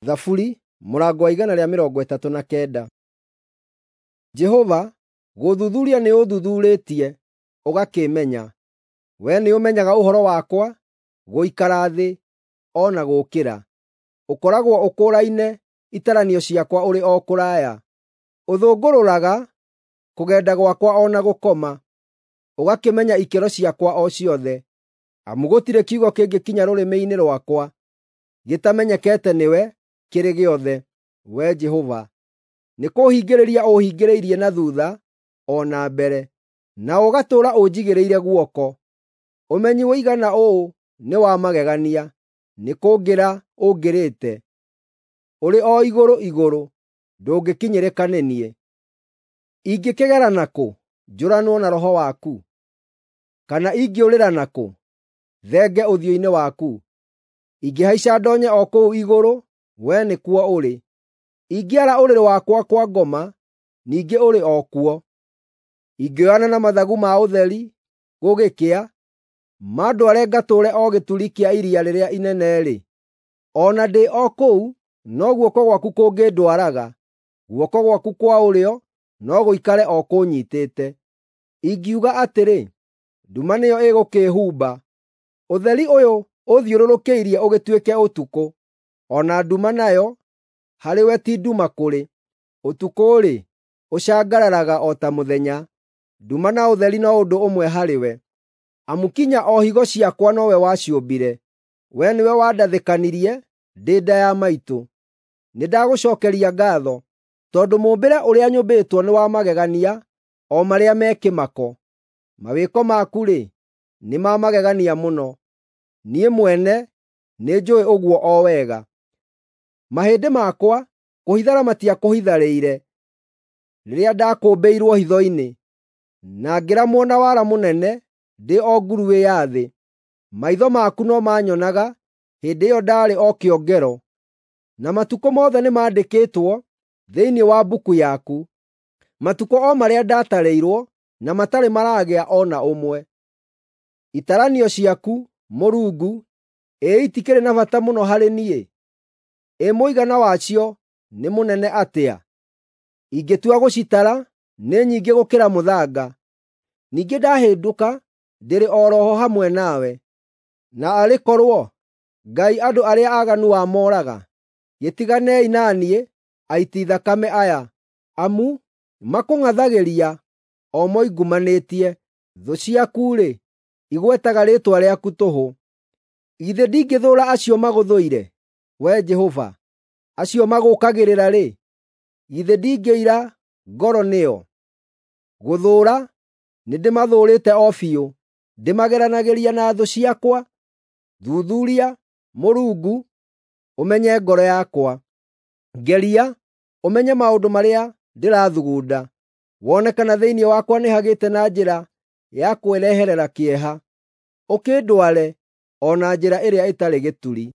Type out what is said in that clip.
Thaburi mũrango wa 139. Jehova, gũthuthuria nĩũũthuthuurĩtie, ũgakĩĩmenya. Wee nĩũmenyaga ũhoro wakwa, gũikara thĩ, o na gũũkĩra. Ũkoragwo ũkũũraine itaranio ciakwa ũrĩ o kũraya. Ũthũngũrũraga kũgenda gwakwa o na gũkoma, ũgakĩmenya ikĩro ciakwa o ciothe. Amu gũtirĩ kiugo kĩngĩkinya rũrĩmĩ-inĩ rwakwa gĩtamenyekete nĩwe kĩrĩ gĩothe, Wee Jehova. Nĩkũũhingĩrĩria ũũhingĩrĩirie na thuutha o na mbere, na ũgatũũra ũnjigĩrĩire guoko. Ũmenyi ũigana ũũ nĩ wa magegania, nĩkũngĩra ũngĩrĩte. Ũrĩ o igũrũ igũrũ, ndũngĩkinyĩrĩka nĩ niĩ. Ingĩkĩgera nakũ njũranwo na roho waku? Kana ingĩũrĩra nakũ thenge ũthiũ-inĩ waku? Ingĩhaica ndonye o kũu igũrũ, wee nĩkuo ũrĩ. Ingĩara ũrĩrĩ wakwa kwa ngoma, ningĩ ũrĩ o kuo. Ingĩoyana na mathagu ma ũtheri gũgĩkĩa, mandware ngatũũre o gĩturi kĩa iria rĩrĩa inene-rĩ, o na ndĩ o kũu no guoko gwaku kũngĩndwaraga, guoko gwaku kwa ũrĩo no gũikare o kũnyiitĩte. Ingiuga atĩrĩ, “Nduma nĩyo ĩgũkĩĩhumba,” ũtheri ũyũ ũthiũrũrũkĩirie ũgĩtuĩke ũtukũ. O na nduma nayo harĩ we ti nduma kũrĩ. Ũtukũ-rĩ, ũcangararaga o ta mũthenya; nduma na ũtheri no ũndũ ũmwe harĩ we. Amu kinya o higo ciakwa nowe waciũmbire; wee nĩwe wandathĩkanirie ndĩ nda ya maitũ. Nĩndagũcookeria ngaatho, tondũ mũũmbĩre ũrĩa nyũmbĩtwo nĩ wa magegania o marĩa me kĩmako. Mawĩko maku-rĩ, nĩ ma magegania mũno; niĩ mwene nĩnjũũĩ ũguo o wega. Mahĩndĩ makwa kũhithara matiakũhitharĩire rĩrĩa ndakũũmbĩirwo hitho-inĩ, na ngĩramwo na wara mũnene ndĩ o nguruĩ ya thĩ. Maitho maku no maanyonaga hĩndĩ ĩyo ndaarĩ o kĩongero, na matukũ mothe nĩmandĩkĩtwo thĩinĩ wa mbuku yaku, matukũ o marĩa ndatarĩirwo na matarĩ maraagĩa o na ũmwe. Itaranio ciaku, Mũrungu, ĩ itikĩrĩ na bata mũno harĩ niĩ! Ĩ mũigana wacio nĩ mũnene atĩa! Ingĩtua gũcitara, nĩ nyingĩ gũkĩra mũthanga. Ningĩ ndahĩndũka, ndĩrĩ o ro ho hamwe nawe. Na arĩ korwo Ngai andũ arĩa aaganu wamooraga! Gĩtiganei na niĩ, aiti thakame aya, amu makũng'athagĩria o moingumanĩtie. Thũ ciaku-rĩ, igwetaga rĩĩtwa rĩaku tũhũ. Githĩ ndingĩthũũra acio magũthũire, Wee Jehova? Acio magũũkagĩrĩra-rĩ, githĩ ndingĩira ngoro nĩo? Gũthũũra nĩndĩmathũũrĩte o biũ, ndĩmageranagĩria na thũ ciakwa. Thuthuria, Mũrungu, ũmenye ngoro yakwa. Ngeria, ũmenye maũndũ marĩa ndĩrathugunda, wone kana thĩinĩ wakwa nĩhagĩte na njĩra ya kwĩreherera kĩeha, ũkĩndware o na njĩra ĩrĩa ĩtarĩ gĩturi.